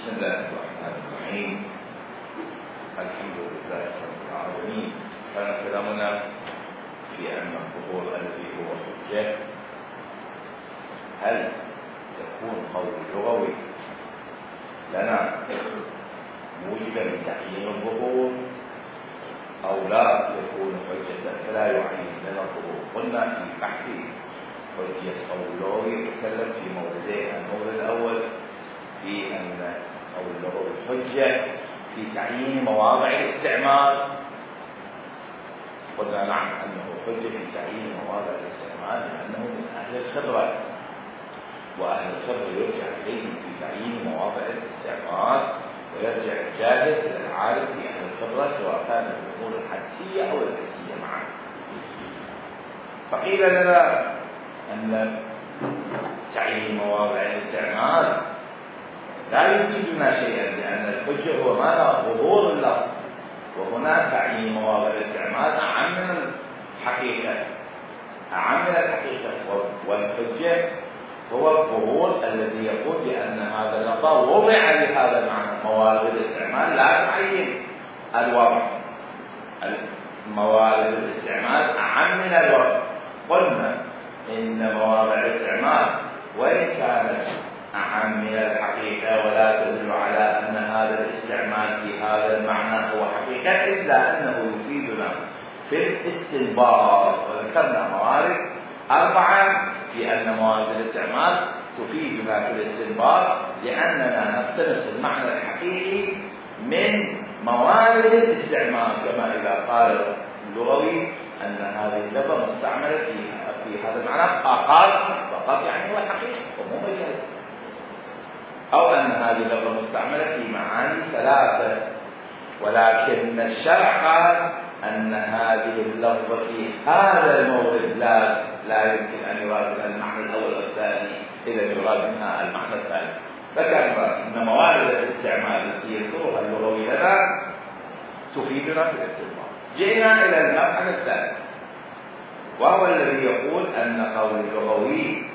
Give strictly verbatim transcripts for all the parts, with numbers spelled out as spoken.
بسم الله الرحمن الرحيم. الحمد لله رب العالمين. كان كلامنا في أن الظهور الذي هو حجة هل يكون قول لغوي لنا موجبا لتعيين الظهور أو لا يكون حجة فلا يعين لنا الظهور؟ قلنا في بحث حجة قول لغوي يتكلم في موردين. المورد الأول في أن قول اللغوي حجة في تعيين مواضع الاستعمال. قلنا نعم أنه حجة في تعيين مواضع الاستعمال لأنه من أهل الخبرة، وأهل الخبرة يرجع إليهم في تعيين مواضع الاستعمال، ويرجع الجاهل إلى العالم في أهل الخبرة سواء كانت الأمور الحدسية أو الحسية معا. فقيل لنا أن تعيين مواضع الاستعمال لا يفيدنا شيئا، لأن الحجة هو ماذا؟ ظهور اللفظ، وهنا تعيين مواضع الاستعمال أعم من الحقيقة، أعم من الحقيقة. والحجة هو الظهور الذي يقول بأن هذا اللفظ وضع لهذا المعنى. موارد الاستعمال لا تعين الوضع، موارد الاستعمال أعم من الوضع. قلنا إن مواضع الاستعمال وإن كانت أعم من الحقيقة ولا تدل على أن هذا الاستعمال في هذا المعنى هو حقيقة، إلا أنه يفيدنا في الاستنباط. وذكرنا موارد أربعة في أن موارد الاستعمال تفيدنا في الاستنباط، لأننا نقتنص المعنى الحقيقي من موارد الاستعمال، كما إذا قال اللغوي أن هذه اللغة مستعملة في في هذا المعنى فقط فقط يعني هو الحقيقة ومو مجاز، أو أن هذه اللغة مستعملة في معاني ثلاثة، ولكن الشرع قال أن هذه اللفظة في هذا المورد لا لا يمكن أن يراد منها المعنى الأول والثاني، إذا يراد منها المعنى الثاني. فكان أن موارد الاستعمال التي يذكرها اللغوي لنا تفيدنا في الاستنباط. جئنا إلى المبحث الثاني، وهو الذي يقول أن قول اللغوي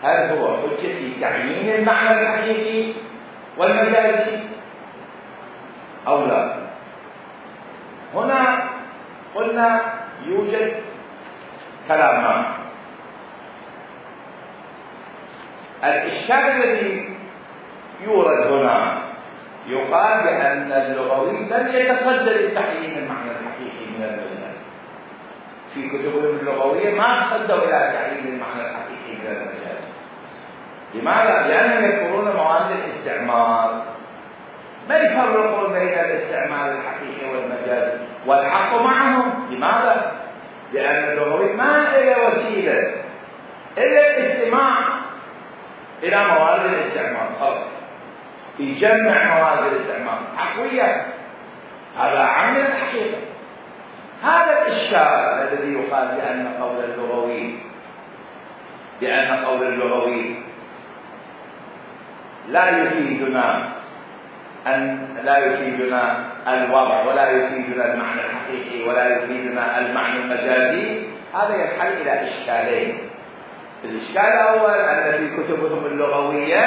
هل هو حجة في تعيين المعنى الحقيقي والمجازي أو لا؟ هنا قلنا يوجد كلامان. الإشكال الذي يورد هنا يقال بأن اللغوي لم يتصدى لتعيين المعنى الحقيقي من المجاز. في كتبهم اللغوية ما تصدوا إلى تعيين المعنى الحقيقي من المجاز. لماذا؟ لأنهم يذكرون موارد الاستعمال، ما يفرقون بين الاستعمال الحقيقي والمجازي، والحق معهم. لماذا؟ لأن اللغوي ما له وسيلة إلا الاستماع إلى موارد الاستعمال، خلاص يجمع موارد الاستعمال حقوية، هذا أعم من الحقيقة. هذا الإشكال الذي يقال بأن قول اللغوي بأن قول اللغوي لا يفيدنا أن لا يفيدنا الوضع ولا يفيدنا المعنى الحقيقي ولا يفيدنا المعنى المجازي، هذا ينحل إلى إشكالين. الإشكال الأول أن في كتبهم اللغوية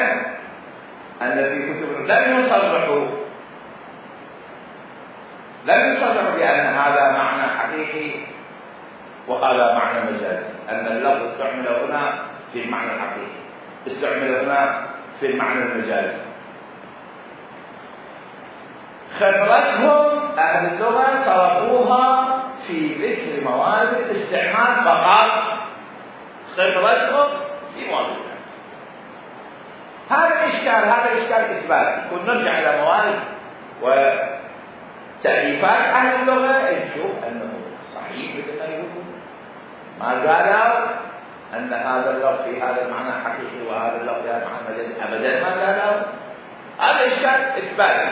أن في كتبهم لم يصرحوا لم يصرحوا بأن هذا معنى حقيقي وهذا معنى مجازي، أن اللفظ استعمل هنا في المعنى الحقيقي، استعمل هنا في المعنى المجازي. خبرتهم أهل اللغة صرفوها في ذكر موارد الاستعمال فقط، خبرتهم في موارد. هذا إشكال، هذا إشكال إثباتي. كنا نرجع إلى موارد وتأليفات أهل اللغة نشوف أنه صحيح مثل ما يقولون، ما قالوا أن هذا اللفظ في هذا المعنى حقيقي وهذا اللفظ في هذا المعنى مجازي، أبدا ما قالوا. هذا إشكال إثباتي.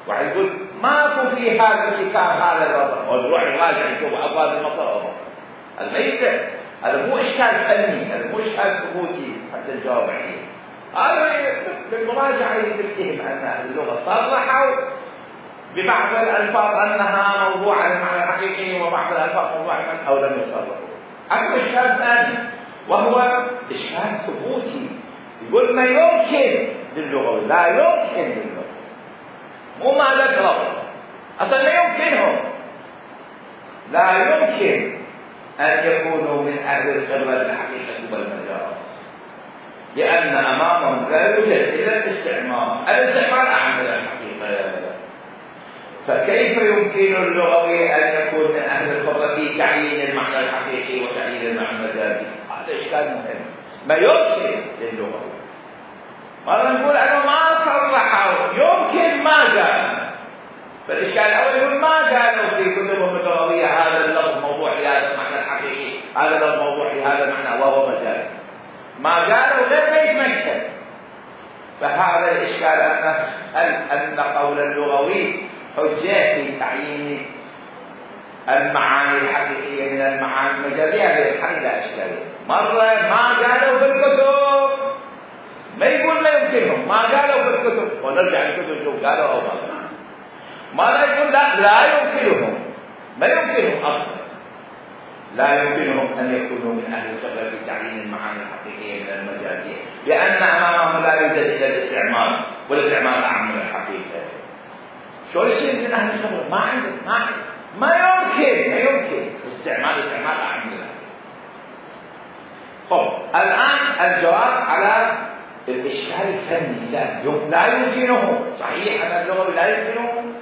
واحد يقول ماكو في هذا الكتاب هذا اللفظ، ونروح نراجع نشوف أبواب المطر، هذا ما يقدر. هذا مو إشكال فني، هذا مو إشكال ثبوتي حتى نجاوب عليه. هذا بالمراجعة يتهم أن أهل اللغة صرحوا ببعض الألفاظ أنها موضوع المعنى الحقيقي وبعض الألفاظ موضوع المعنى، أو لم يصرحوا. أكو إشكال ثاني وهو إشكال ثبوتي، يقول ما يمكن للغوي، لا يمكن للغوي، مو ما ذكروا اصلا، لا يمكنهم، لا يمكن ان يكونوا من اهل الخبره بالحقيقه والمجاز، لان امامهم لا يوجد الا الاستعمار، الاستعمار اعم من الحقيقه. فكيف يمكن اللغوي ان يكون من اهل الخبره في تعيين المعنى الحقيقي وتعيين المعنى المجازي؟ هذا اشكال مهم. ما يمكن للغوي، مرة نقول أنه ما صرحوا، يمكن ما قال. فالإشكال الأول يقول ما قالوا في كتبهم اللغوية هذا اللفظ موضوع لهذا المعنى الحقيقي، هذا اللفظ موضوع لهذا المعنى وهو مجاز. ما قالوا غير ما يتمكن. فهذا الإشكال أن أن قول اللغوي حجة في تعيين المعاني الحقيقية من المعاني المجازية، هذه الحل لا إشكالية. مرة ما قالوا في الكتب، ما يقول لا يمكنهم، ما قالوا في الكتب، ونرجع للكتب شوف قالوا أو ما قالوا. ما يقول لا لا يمكنهم، ما يمكنهم أصلا، لا يمكنهم أن يكونوا من أهل الخبرة في تعيين المعاني الحقيقية من المجازية، لأن أمامهم لا يوجد إلا الاستعمار، والاستعمار أعم من الحقيقة. شو يصير من أهل الخبرة؟ ما عنده، ما عنده، ما يمكن، ما يمكن استعمال استعمال أعم من الحقيقة. طب الآن الجواب على الإشكال الفني، لا لا يمكنه، صحيح أن اللغوي لا يمكنه،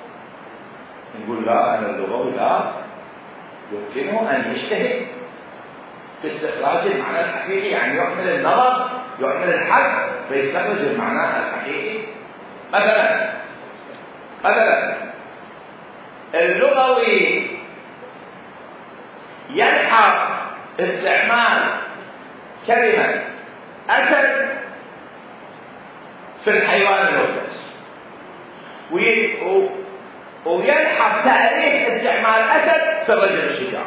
نقول لا، أن اللغوي لا يمكنه أن يجتهد في استخراج المعنى الحقيقي، يعني يعمل النظر، يعمل الحد فيستخرج المعنى الحقيقي. مثلا مثلا اللغوي يلحق استعمال كلمة أسد في الحيوان المفترس، ويلحق تاريخ استعمال أسد في الرجل الشجاع.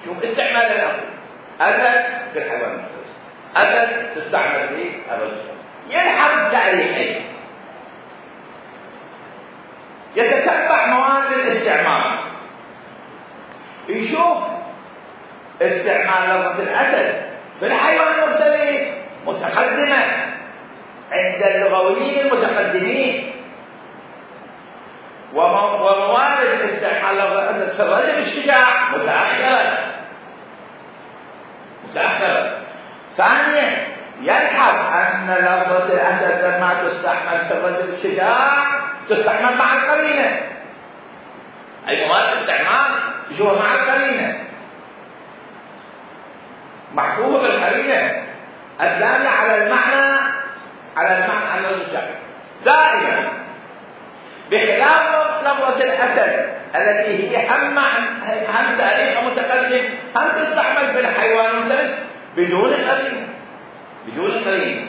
شوف استعمال الأول، أسد في الحيوان المفترس، أسد تستعمل في الرجل، يلحق تاريخين، يتتبع مواد الاستعمال، يشوف استعمال لفظة الأسد في الحيوان المفترس متقدمة عند اللغويين المتقدمين، وموارد استعمال لفظ الأسد في الرجل الشجاع متأخرة متأخرة. ثانيا يلحظ أن لفظة الأسد لما تستعمل في الرجل الشجاع تستعمل مع القرينة، أي موارد استعمال يشوفها مع القرينة، محفوظة بالقرينة الدالة على المعنى، على المعنى على الرجل دائما، بخلاف لفظة الأسد التي هي هم هم تاريخ متقدم، هم تستعمل في الحيوان المفترس بدون قرينة، بدون قرينة.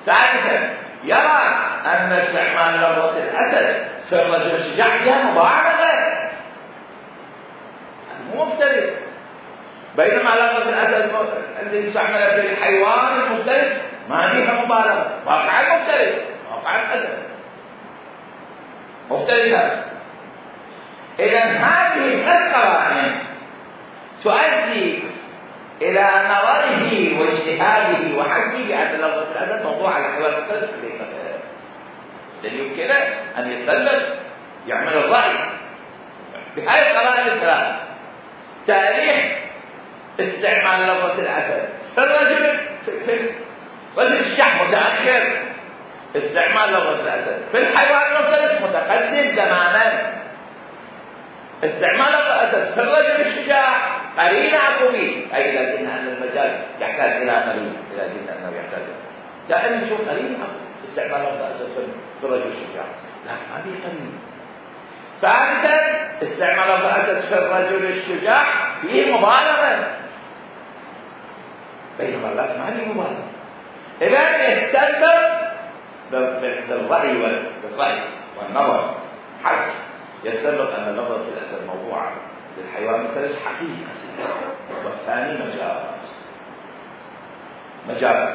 ثالثا يرى أن استعمال لفظة الأسد في الرجل الشجاع فيها مبالغة، مو مفترس، بينما لفظة الأسد الذي يستعمل في الحيوان المفترس ما فيها مبالغة، واقع المفترس، واقع الأسد مفترسة. إذا هذه الثلاث قرائن تؤدي إلى نظره واجتهاده وحكيه بأن لفظة الأسد موضوع على الحيوان المفترس بالحقيقة، لأن يمكنه أن يسلم يعمل الرأي بهذه القرائن الثلاث: تاريخ استعمال لفظة الأسد في الرجل في الرجل الشح متأخر، استعمال لفظة الأسد في الحيوان المفترس متقدم زمانا، استعمال لفظة الأسد في الرجل الشجاع قرينة عقوبية، أي لكن أن المجال يحتاج إلى قرينة، لكن أنه يحتاج دائما نشوف قرينة عقوبية، استعمال لفظة الأسد في الرجل الشجاع لكن ما في قرينة. ثالثا استعمال لفظة الأسد في الرجل الشجاع فيه مبالغة، بينما الناس ما فيه مبالغة. إذا يستنبط بالرأي والرأي والنظر حسب، يستنبط أن لفظة الأسد موضوعة للحيوان المفترس حقيقة، والثاني مجاز مجاز.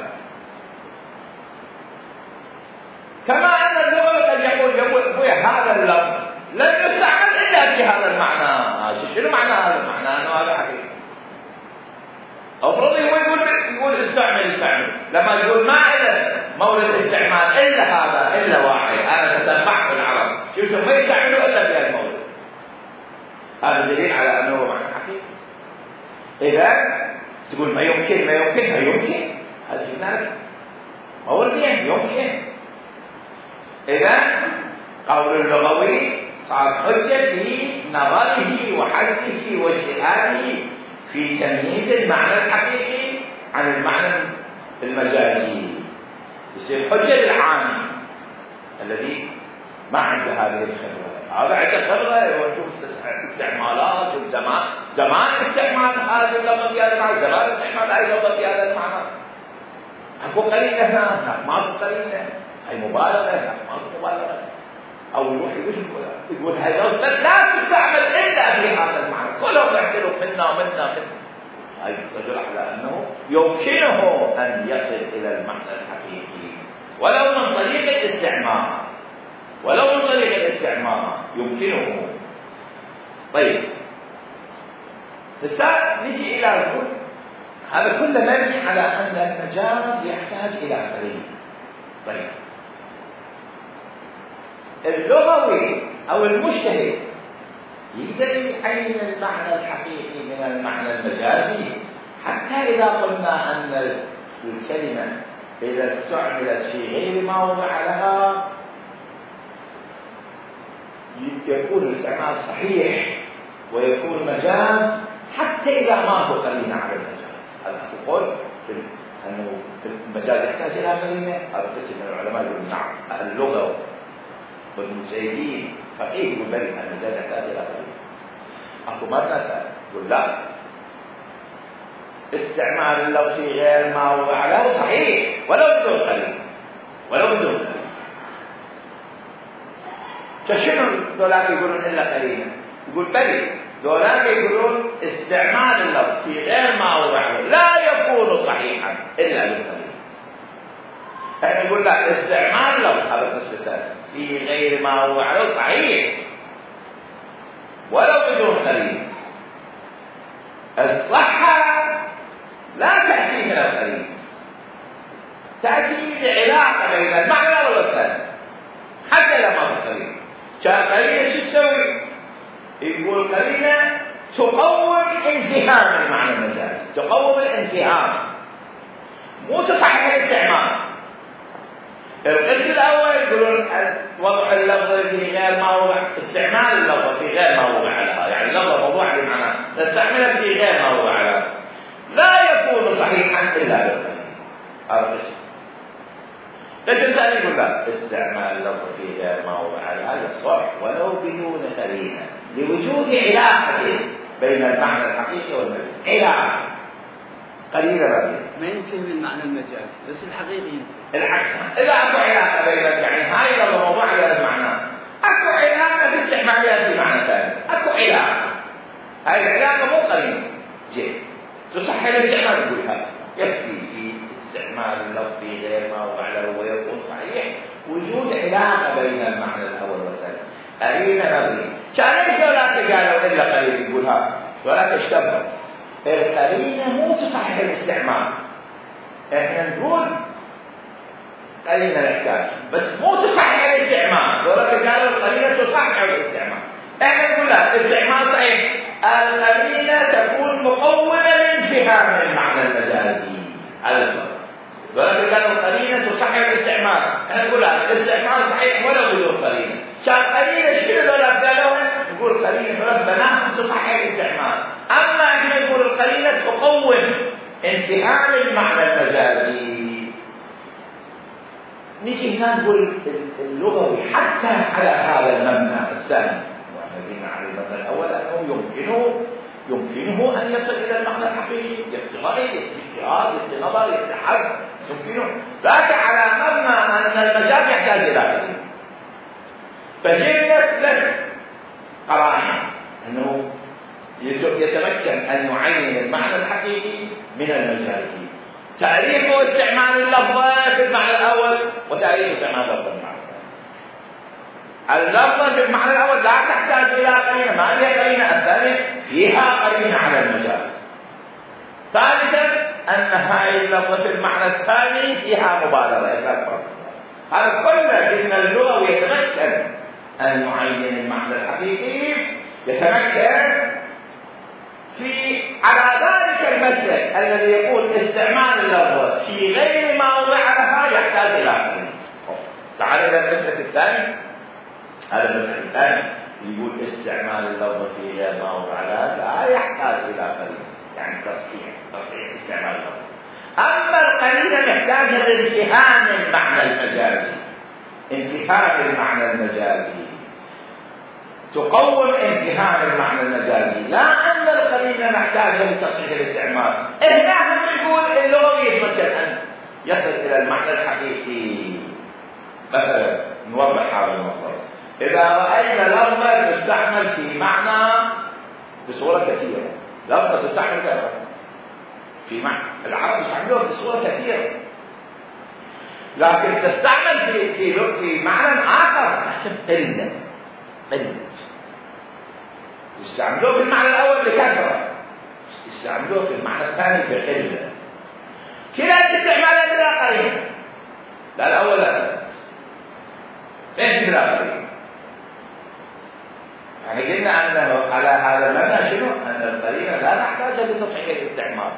كما أن اللغة قد يقول يقول هذا اللفظ لن يستعمل إلا في هذا المعنى، شنو معنى هذا المعنى؟ أنه هذا حقيقة. أفرض هو يقول يقول استعمل استعمل لما يقول مائدة مورد استعمال الا هذا، الا واحد انا تتبعت العرب، شوفوا ما يستعملوا الا في المورد. هذا دليل على انه هو معنى حقيقي. اذا تقول ما يمكن ما يمكن ما يمكن، هذا شيء نعرف موردين يمكن. اذا قول اللغوي صار حجه في نظره وحثه واجتهاده في تمييز المعنى الحقيقي عن المعنى المجازي، يصير حجه للعامي الذي ما عنده هذه الخبره. هذا عنده خبره ويشوف استعمالات وزمان زمان استعمال هذه اللغه في هذا المعنى، زمان استعمال هذه اللغه في هذا المعنى. اكو قليله هنا، ما اكو قليله، هي مبالغه، ما اكو مبالغه. او يروح يقول يقول هاي لا تستعمل الا في هذا المعنى، كلهم يعترف منا ومنا منا. هاي تدل على انه يمكنه ان يصل الى المعنى الحقيقي ولو من طريق الاستعمار، ولو من طريق الاستعمار يمكنه. طيب هسه نجي الى الكل. هذا كله مبني على ان المجاز يحتاج الى قرين. طيب اللغوي او المجتهد يقدر يعين المعنى الحقيقي من المعنى المجازي، حتى اذا قلنا ان الكلمه اذا استعملت في غير ما وضع لها يكون الاستعمال صحيح ويكون مجاز، حتى اذا ما هو قرينه على المجاز. هذا يقول انه المجاز يحتاج الى قرينه. هذا قسم من العلماء يقول نعم، اهل اللغه والمجتهدين فقيه يقول بل المجاز يحتاج الى قرينه. اكو مرة يقول لا، استعمال اللفظ في غير ما وضع له صحيح ولو بدون قرينه، ولو بدون قرينه. فشنو دولاك يقولون الا قرينه؟ يقول بل دولاك يقولون استعمال اللفظ في غير ما وضع له لا يكون صحيحا الا بالقرينه. احنا نقول لا، استعمال اللفظ هذا القسم الثاني في غير ما وضع له صحيح ولو بدون قرينه. الصحة لا تأتي من القرينه، تأتي بعلاقة بين المعنى والثاني حتى لما بالقرينه. كان قرينه شو تسوي؟ يقول قرينه تقوم انفهام المعنى المجازي، تقوم الانفهام، مو تصحح الاستعمال. القسم الاول يقولون وضع اللفظ في غير ما وضع، استعمال اللفظ في غير ما وضع لها، يعني اللفظ موضوع بمعنى نستعمله في غير ما وضع لها لا يكون صحيحا الا بالقرينه. هذا القسم. القسم الثاني يقول لا، استعمال اللفظ في غير ما وضع لها يصح ولو بدون قرينه لوجود علاقه بين المعنى الحقيقي والمجازي. علاقه قرينه ربي ما يمكن من المعنى المجازي بس الحقيقي العكس. اذا اكو علاقه بين يعني هاي لو موضوع غير المعنى، اكو علاقه في استعمالها في معنى ثاني، اكو علاقه. هاي العلاقه مو قرينه جيد تصحح الاستعمال. تقول هذا يكفي في استعمال اللفظ في غير ما وضع له ويكون صحيح وجود علاقه بين المعنى الاول والثاني. قرينه نظري. كان ليش ولا قالوا الا قرينه؟ يقول هذا ولا تشتبه. القرينه مو تصحح الاستعمال. احنا نقول قرينه نحتاج بس مو تصحح الاستعمال. ولكن قالوا القرينه تصحح الاستعمال. احنا نقول لا، الاستعمال صحيح، القرينه تكون مقومه لانفهام المعنى المجازي على الفرق. ولكن قالوا القرينه تصحح الاستعمال. احنا نقول لا، الاستعمال صحيح ولو بدون قرينه. شان قرينه شنو ولا قالوا؟ نقول قرينه ربنا تصحح الاستعمال. اما احنا نقول القرينه تقوم انفهام المعنى المجازي. نيجي هنا نقول اللغوي حتى على هذا المبنى الثاني، واحنا جينا على المبنى الاول انه يمكنه يمكنه ان يصل الى المعنى الحقيقي، يفتغي اجتهاد نظر يتحدث يمكنه، لكن على مبنى ان المجاز يحتاج الى قرينه. فجئنا لك قرائن انه يتمكن ان يعين المعنى الحقيقي من المجازي. تعريف واستعمال اللفظ في المعنى الاول وتعريف استعمال اللفظ في المعنى الثاني. اللفظ في المعنى الاول لا تحتاج الى قرينه، ما هي قرينه. الثانيه فيها قرينه على المجاز. ثالثا أن هاي اللفظة في المعنى الثاني فيها مبالغة إطلاق. هذا كله لأن اللغوي يتمكن أن يعين المعنى الحقيقي، يتمكن في على ذلك المسلك الذي يقول استعمال اللفظة في غير موضعها يحتاج إلى قرينة. تعال إلى المسلك الثاني. هذا المسلك الثاني يقول استعمال اللفظة في غير موضعها لا يحتاج إلى قرينة، يعني تصحيح تصحيح استعمال اللفظة. أما القرينة محتاجة لانتهام المعنى المجازي، انتهام المعنى المجازي تقوم انتهام المعنى المجازي، لا أن القرينة محتاجة لتصحيح الاستعمال. هنا هم يقول اللغوي يتمكن أن يصل إلى المعنى الحقيقي. مثلا نوضح هذا الموضوع. إذا رأينا لفظة تستعمل في معنى بصورة كثيرة، لفظة تستعمل كثيرة في معنى، العرب يستعملوها بصورة كثيرة، لكن تستعمل في في في معنى آخر قلة قلة. يستعملوه في المعنى الأول بكثرة، يستعملوه في المعنى الثاني بقلة. كلا الاستعمالات بلا قرينة، لا الأول لا ليس بلا قرينة. يعني قلنا أنه على هذا المعنى شنو؟ أن القرينة لا نحتاج لتصحيح الاستعمال،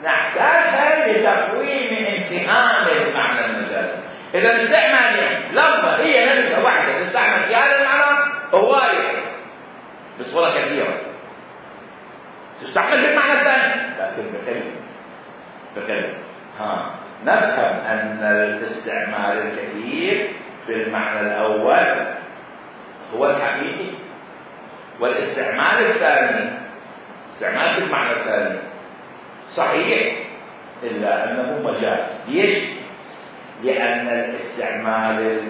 نحتاجها لتقويم انتهام المعنى المجازي. إذا استعمال لفظة هي نفسها واحدة تستعمل في هذا المعنى هواية بصورة كثيرة، تستعمل في المعنى الثاني لكن بكلمة بكلمة. ها نفهم أن الاستعمال الكثير في المعنى الأول هو الحقيقي، والاستعمال الثاني استعمال في المعنى الثاني صحيح إلا أنه مجاز. ليش؟ لأن الاستعمال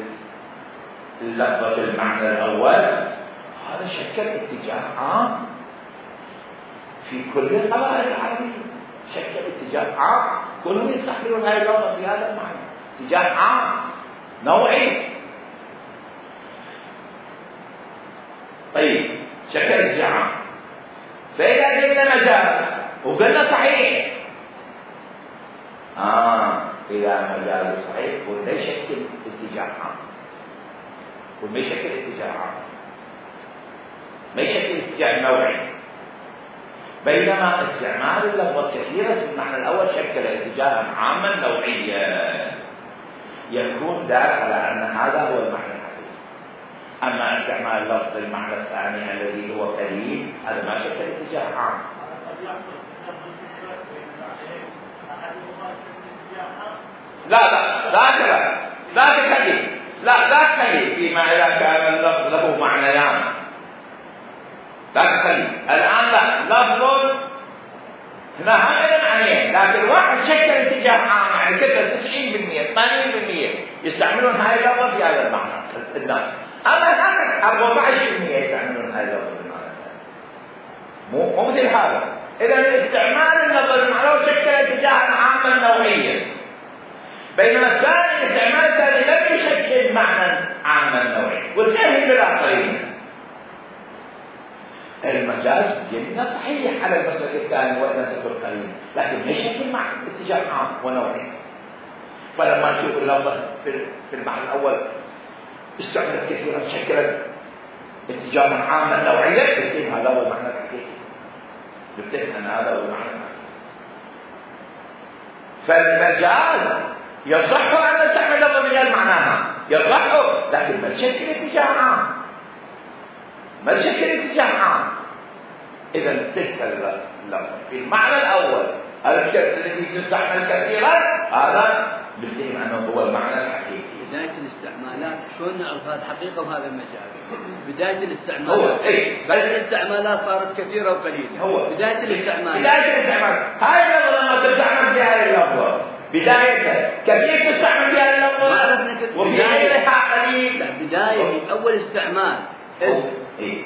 اللفظة في المعنى الأول هذا شكل اتجاه عام في كل القبائل العربية، شكل اتجاه عام كلهم يستحملون هذه اللفظة في هذا المعنى، اتجاه عام نوعي. طيب شكل اتجاه عام، فإذا قلنا مجاز وقلنا صحيح، آه إذا مجاز صحيح ولا يشكل اتجاه عام، وما يشكل اتجاه عام، ما يشكل اتجاه نوعي. بينما استعمال اللفظة كثيرة في المعنى الأول شكل اتجاها عاما نوعيا يكون دال على أن هذا هو المعنى الحقيقي. أما استعمال اللفظ المعنى الثاني الذي هو قريب هذا ما شكل اتجاه عام. لا لا لا لا لا تكلم لا لا تكلم فيما إذا كان اللفظ له معنيان، لا تكلم الآن. لا لفظ هنا هذا معنيين، لكن واحد شكل اتجاه عام، يعني كذا تسعين بالمئة ثمانين بالمئة يستعملون هاي اللفظ في هذا المعنى الناس، أما هذا أربعة عشر بالمئة يستعملون هاي اللفظ بالمعنى الثاني. مو مو مثل هذا. إذا استعمال اللفظ المعنى شكل اتجاه عاما نوعيا، بينما الثاني استعمال الثاني لم يشكل معنى عاما نوعيا والثاني بالآخرين. المجاز جدا صحيح على المسلك الثاني وإن تكون قليل، لكن ما يشكل معنى اتجاه عام ونوعي. فلما نشوف اللفظة في المعنى الأول استعملت كثيرا شكلت اتجاها عاما نوعيا، يتم هذا هو المعنى الحقيقي، يتم أن هذا هو المعنى الحقيقي. فالمجاز يصح أن نستعمل لفظة بغير معناها، يصح، لكن ما تشكل اتجاه عام، ما تشكل اتجاه عام. إذا تلك اللفظة في المعنى الأول الشكل الذي تستعمل كثيرا هذا بنتهم أنه هو المعنى الحقيقي. بداية الاستعمالات شلون نعرف هذا حقيقة وهذا المجاز؟ بداية الاستعمالات هو إيه؟ بل الاستعمالات صارت كثيرة وقليلة. هو بداية الاستعمال بداية الاستعمال هاي اللفظة ما تستعمل فيها اللفظة بدايتها كثير تستعمل فيها اللفظة وفي غيرها قليل. بداية من أول استعمال إيه؟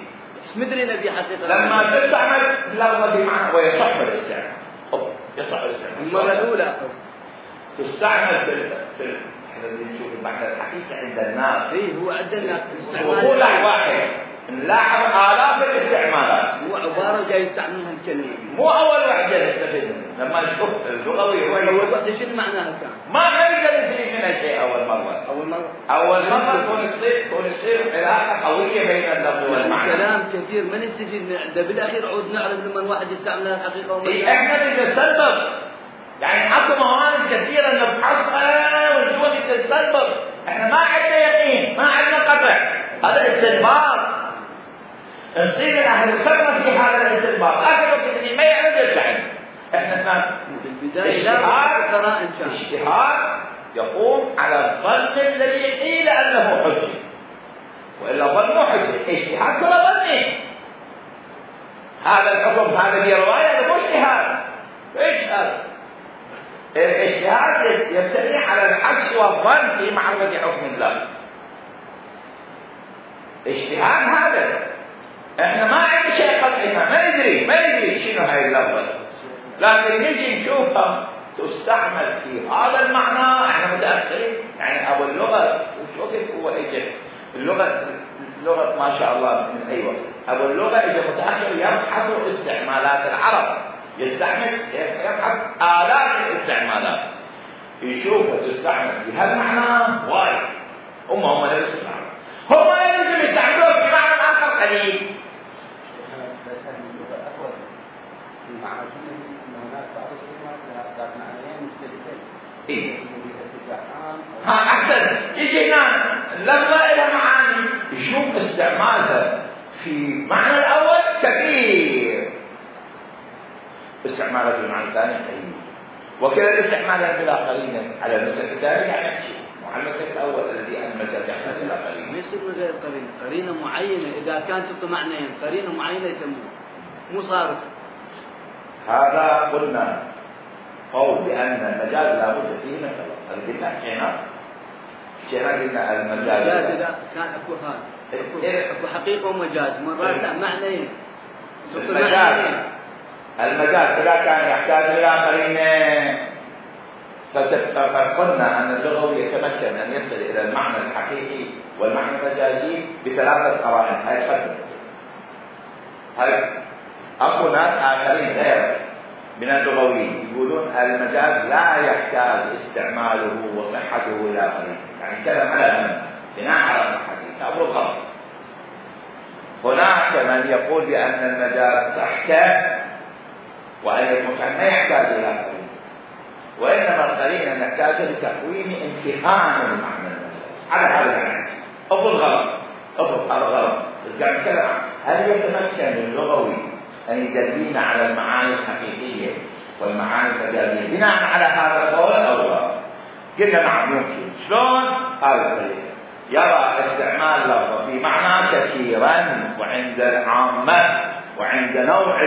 مدري نبي حقيقة لما تستعمل اللفظة بمعنى ويصح الاستعمال، يصح الاستعمال المرة الأولى تستعمل في في احنا نشوف المعنى الحقيقي عند الناس. ايه هو عند الناس وقول واحد نلاحظ آلاف الاستعمالات. مو عبارة جاي يستعملها الكلمة. مو أول وحدة نستفيد منها، لما نشوف اللغوي هو أول وحدة شنو معناها كان؟ ما نقدر نستفيد منها شيء أول مرة. أول مرة. أول مرة تكون تصير تكون تصير علاقة قوية بين اللفظ والمعنى. كلام كثير ما نستفيد منه، ده بالأخير عود نعرف لما الواحد يستعملها حقيقة وما. إيه إحنا نتسبب، يعني اكو موارد كثيرة نبحثها ونشوف نتسبب، إحنا ما عندنا يقين، ما عندنا قطع، هذا استنباط. نصير الأهل الخبرة في هذا الاستنباط، آخر وقت اللي ما يعرف يرجع. إحنا كان اجتهاد اجتهاد يقوم على الظن الذي قيل أنه حجة، وإلا ظنه حجة، اجتهاد ولا ظنه. هذا الحكم هذا هي رواية مو اجتهاد. ايش هذا؟ الاجتهاد يبتني على الحدس والظن في معرفة حكم الله. اجتهاد هذا احنا ما عندنا شيء قطعي، ما ندري ما ندري شنو هاي اللفظة، لكن نجي نشوفها تستعمل في هذا المعنى. احنا متأخرين، يعني ابو اللغة وش وقت هو اجى اللغة اللغة ما شاء الله من اي وقت. ابو اللغة اجى متأخر يبحث استعمالات العرب، يستعمل يبحث آلاف الاستعمالات، يشوفها تستعمل في هذا المعنى وايد. هم هم لا يستعملون، هم لا لازم يستعملوها في معنى آخر قليل. بس هذه اللغة أقوى في معنى أن هناك بعض الكلمات ذات معنيين مختلفين. إيه. ها أحسن، يجي هنا لما إلى معاني يشوف استعمالها في معنى الأول كثير، استعمالها في المعنى الثاني قليل، وكذا الاستعمالات بالآخرين على المسألة الثانية يعني شيء، وعلى المسألة الأول الذي أن المسألة يحتاج إلى قرينة. ما يصير غير قرينة، قرينة معينة إذا كانت تعطي معنيين، قرينة معينة يسموها مو صارف. هذا قلنا قول بأن المجاز لا بد فيه من خلاص، هذا قلنا حكينا حكينا قلنا المجاز إذا كان أكو هذا أكو حقيقة ومجاز، مرات معنيين. المجاز المجاز إذا كان يحتاج إلى قرينة، فقلنا أن اللغوي يتمكن أن يصل إلى المعنى الحقيقي والمعنى المجازي بثلاثة قرائن. هاي خدمة هاي أكو ناس آخرين غيرك من اللغويين يقولون المجاز لا يحتاج استعماله وصحته إلى قرينة، يعني كلام على الأمن بناء على صحته أبو الغلط. هناك من يقول بأن المجاز صحته وأن المصحف ما يحتاج إلى قرينة، وإنما القرينة نحتاج لتقويم امتحان المعنى المجاز على هذا المعنى. أبو الغلط أبو الغلط يعني كلام. هل يتمكن اللغوي أن يدلنا على المعاني الحقيقية والمعاني المجازية بناء على هذا القول أو لا؟ قلنا نعم يمكن. شلون؟ هذا الطريقة يرى استعمال لفظ في معنى كثيرا وعند العامة وعند نوع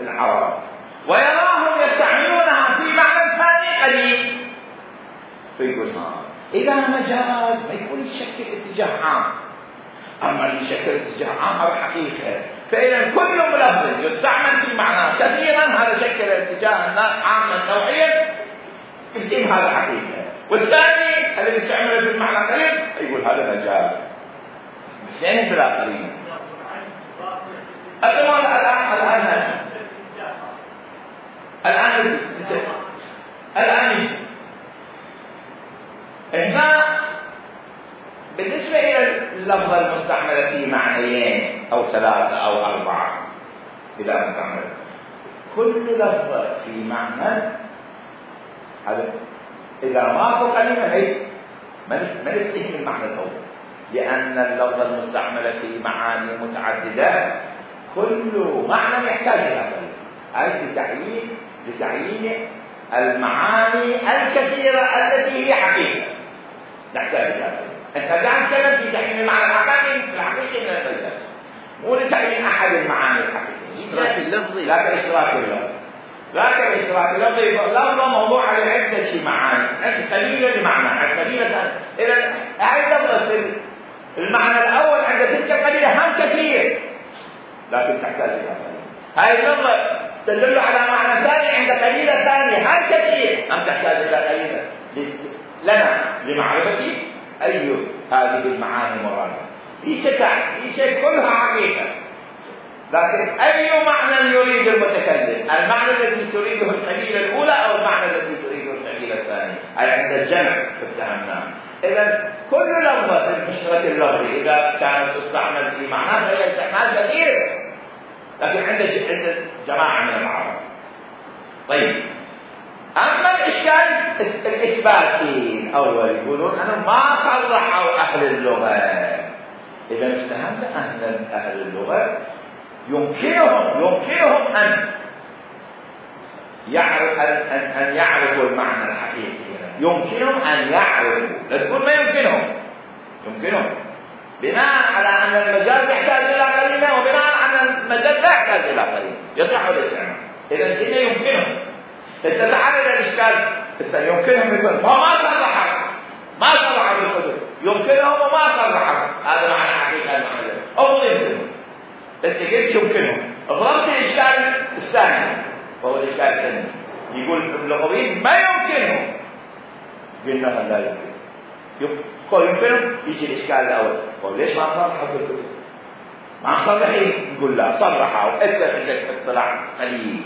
العرب، ويراهم يستعملونها في معنى ثاني قليل، فيقول ها إذا مجاز ما يكون يشكل اتجاه عام، أما اللي يشكل اتجاه عام هذا حقيقة. فإذا كل ملفظ يستعمل في معنى كثيرا هذا شكل اتجاه عاما نوعيا، يسمى هذا حقيقة. والثاني الذي يستعمله في المعنى قليل يقول هذا مجاز. اثنين بلا قرينة. الآن الآن الآن الآن الآن هنا بالنسبة إلى اللفظة المستعملة في معنيين أو ثلاثة أو أربعة إذا مستعملة، كل لفظة في معنى هذا إذا ماكو قليلا ما نستهم المعنى الأول، لأن اللفظة المستعملة في معاني متعددة كل معنى يحتاج إلى قليل، أي لتعيين لتعيين المعاني الكثيرة التي هي حقيقة نحتاج إلى قليل. أنت قاعد تتكلم في تعيين المعنى الحقيقي الحقيقي من المجاز، مو لتعيين أحد المعاني الحقيقية، إشراك اللفظي، لكن إشراك اللفظ لكن إشراك اللفظي لفظة موضوع على عدة معاني، قليلة لمعنى قليلة. إذا هاي اللفظة المعنى الأول عند تلك القليلة هم كثير لكن تحتاج إلى قليل. هاي اللفظة تدل على معنى ثاني عند قليلة ثانية هم كثير هم تحتاج إلى قليلة لنا لمعرفة أي هذه المعاني مرادة. هي شيء هي شيء كلها حقيقة، لكن أي معنى يريد المتكلم؟ المعنى الذي تريده القبيلة الأولى أو المعنى الذي تريده القبيلة الثانية؟ أي عند الجمع فاتهمناه. إذا كل لفظة في المشترك اللفظي إذا كانت تستعمل في معناه فهي استعمال كثير، لكن عند عند جماعة من العرب. طيب، أما الإشكال الإثباتي الأول يقولون أنا ما صرحوا أهل اللغة. إذا استهمنا أهل أهل اللغة يمكنهم يمكنهم أن يعرف أن أن يعرفوا المعنى الحقيقي، يمكنهم أن يعرفوا، لا تقول ما يمكنهم، يمكنهم بناء على أن المجاز يحتاج إلى قرينة، وبناء على المجاز لا يحتاج إلى قرينة يصح الاستعمال. إذا هنا يمكنهم. استدعى الإشكال يمكنهم يقول ما صرحوا ما صرحوا بالحدود، يمكنهم وما صرحوا، هذا معنى حقيقة المعنى أو يمكنهم. أنت قلت يمكنهم، ضربت الإشكال الثاني وهو الإشكال الثاني يقول اللغويين ما يمكنهم، قلنا لا يمكن. يقول يمكنهم، يجي الإشكال الأول قال ليش ما صرحوا بالكتب؟ ما صرحين، نقول لا صرحوا، أنت عندك اطلاع قليل.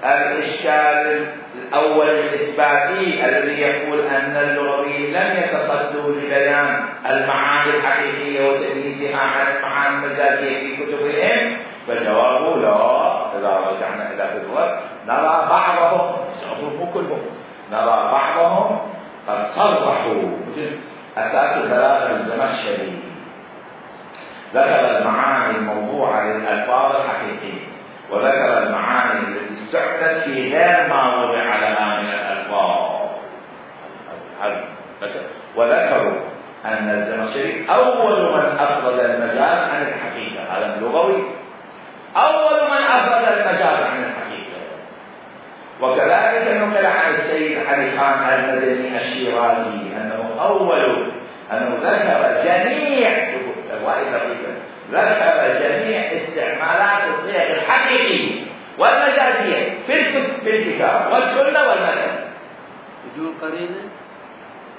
الإشكال الأول الإثباتي الذي يقول أن اللغويين لم يتصدوا لبيان المعاني الحقيقية وتمييزها عن المعاني المجازية في كتبهم، فجوابه لا. إذا رجعنا إلى كتبهم نرى بعضهم، مو كلهم، نرى بعضهم قد صرحوا. مثل أساس البلاغة الزمخشري ذكر المعاني الموضوعة للألفاظ الحقيقية، وذكر المعاني التي استعملت في غير ما وضع لها من الألفاظ، وذكروا أن الزمخشري أول من أفرد المجاز عن الحقيقة، هذا اللغوي أول من أفرد المجاز عن الحقيقة. وكذلك نقل عن السيد علي خان المدني الشيرازي أنه أول أنه ذكر جميع ذكر جميع استعمالات الصيغ الحقيقية والمجازية في الكتاب والسنة والمذهب بدون قرينة.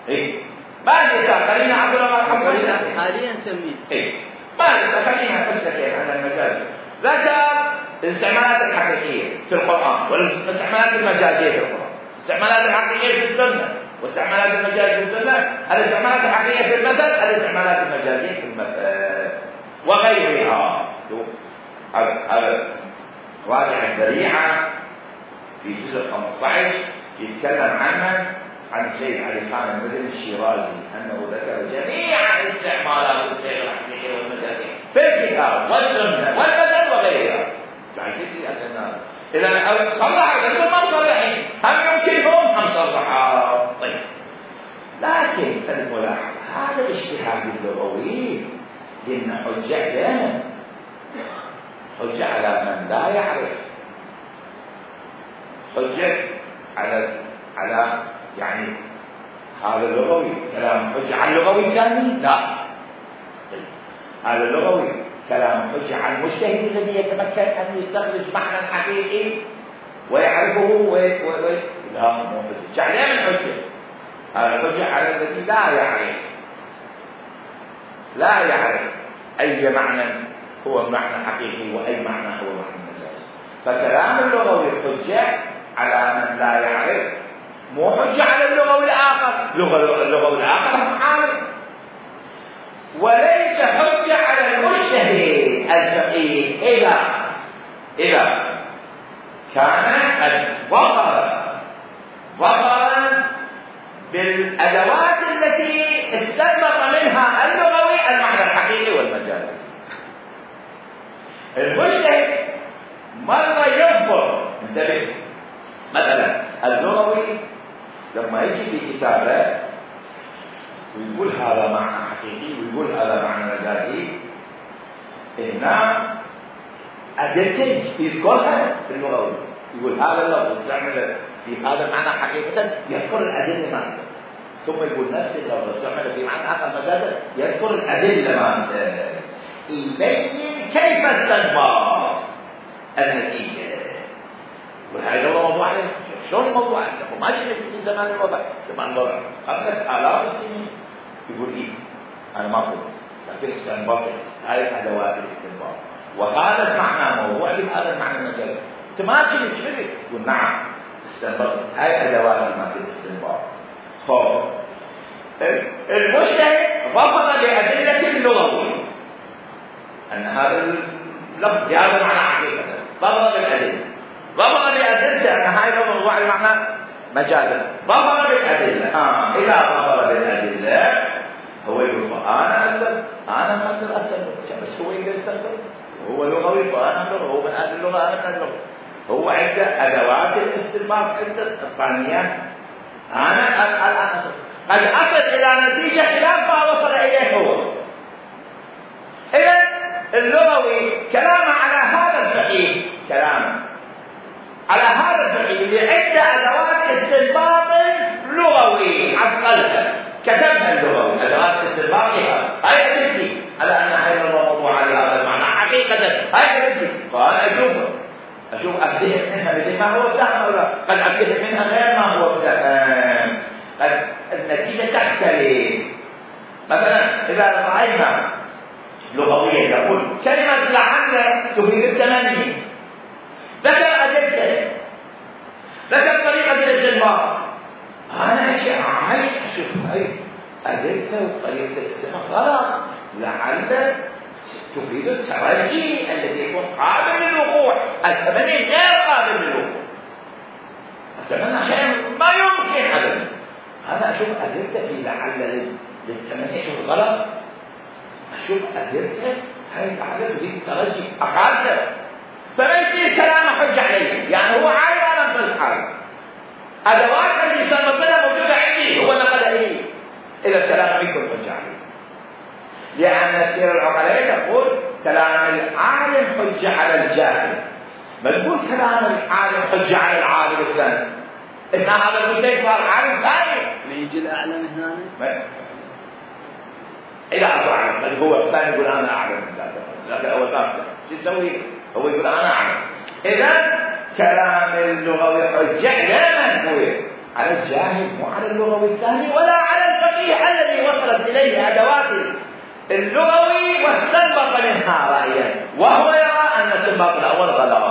إيه ما لسه قرينة عبد الله قرينة حاليا نسميه. إيه ما لسه خلينا نتكلم عن المجاز. ذكر الاستعمالات الحقيقية في القرآن والاستعمالات المجازية في القرآن، الاستعمالات الحقيقية في السنة واستعمالات المجازية في السنة، الاستعمالات الحقيقية في المثل، الاستعمالات المجازية في المثل وغيرها. هذا راجع الذريعة في جزء خمسة عشر يتكلم عنها عن السيد علي خان المدني الشيرازي أنه ذكر جميع استعمالات الصيغ الحقيقية والمجازية في الكتاب والسنة والمثل وغيرها. إذا صرح الرسول ما صرحين، هم يمكنهم هم صرحوا. طيب، لكن الملاحظة هذا اجتهاد اللغوي لأن حجة دائما حجة على من لا يعرف، حجة على على يعني هذا اللغوي كلام حجة على اللغوي الثاني لا. طيب، هذا اللغوي كلام حجة على المجتهد الذي يتمكن أن يستخرج معنى حقيقي ويعرفه و و لا مو حجة على من حجة. هذا حجة على الذي لا يعرف لا يعرف أي معنى هو معنى حقيقي وأي معنى هو معنى مجازي. فكلام اللغوي حجة على من لا يعرف، مو حجة على اللغوي الآخر. اللغوي الآخر عارف، وليس حجة على المجتهد الفقيه إذا إذا كان قد ظهر ظهر بالأدوات التي استنبط منها اللغوي المعنى الحقيقي والمجازي. المجتهد مرة يظهر، انتبه، مثلا اللغوي لما يجي في كتابه ويقول هذا معنى حقيقي ويقول هذا معنى مجازي، هنا أدلة يذكرها في اللغوي، يقول هذا اللفظ استعمل في هذا المعنى حقيقة، يذكر الأدلة معنى، ثم يقول نفس اللفظ استعمل في معنى آخر مجازا، يذكر الأدلة معنى، يبين كيف استنبط النتيجة. وهذا هو موضوع شلون الموضوع عندكم؟ ما شفت في زمان الوضع، زمان الوضع قبل آلاف السنين يقول إيه؟ أنا ما أقول لكن استنبط هاي ادوات الاستنباط، وهذا المعنى موضوع بهذا المعنى المجال. انت ما تجي تشرك تقول نعم استنبط هاي ادوات الاستنباط. خب المجتهد رفض بأدلة اللغوي أن هذا اللفظ بهذا معنى حقيقة، رفض بالأدلة، رفض بأدلة أن هاي الموضوع المعنى مجازا، رفض بالأدلة. آه إذا رفض بالأدلة هو يقول أنا أسلم، أنا ما أقدر أسلم، بس هو يقدر يستنبط، هو لغوي وأنا لغوي، هو من أهل اللغة أنا من اللغة، هو عنده أدوات الاستنباط، عنده الثانيات. أنا الآن قد أصل إلى نتيجة خلاف ما وصل إليه هو. إذا اللغوي كلامه على هذا الفقيه، كلامه على هذا الفقيه اللي عنده أدوات استنباط لغوي عقلها كتبها اللغوي، أدوات استنباطها هاي أدلتي على أن هاي الموضوع على هذا المعنى حقيقة، هاي أدلتي. فأنا أشوفه أشوف أبديه منها مثل ما هو فهم، ولا قد أبديه منها غير ما هو فهم، قد النتيجة تختلف. مثلا إذا رأينا لغويا يقول كلمة لعل تفيد التمني، ذكر أدلته، ذكر طريقة الاستنباط، أنا أشياء عايز أشوف هاي أدلته وطريقة الاستنباط غلط، لعل تفيد الترجي الذي يكون قابل للوقوع، التمني غير قابل للوقوع، التمني شيء ما يمكن أبدا. أنا أشوف أدلته في لعل للتمني أشوف غلط، أشوف أدلته هاي لعل تفيد الترجي أقالته، فما يصير كلامه حجة عليه، يعني هو عالم أنا في الحال، أدوات اللي سمتنا موجودة عندي هو نقل لي، إذا الكلام يكون حجة عليه. لأن سير العقلاء تقول كلام العالم حجة على الجاهل، ما تقول كلام العالم حجة على العالم الثاني، إن هذا المجتهد صار عالم ثاني. ما يجي الأعلم هنا؟ إذا أعلم، بل هو الثاني يقول أنا أعلم، لكن أول ثالث شو يسوي؟ هو يقول أنا أعلم. إذا كلام اللغوي حجة لا منفوية على الجاهل، مو على اللغوي الثاني ولا على الفقيه الذي وصلت إليه أدوات اللغوي واستنبط منها رأيا، وهو يرى أن الاستنباط الأول غلط.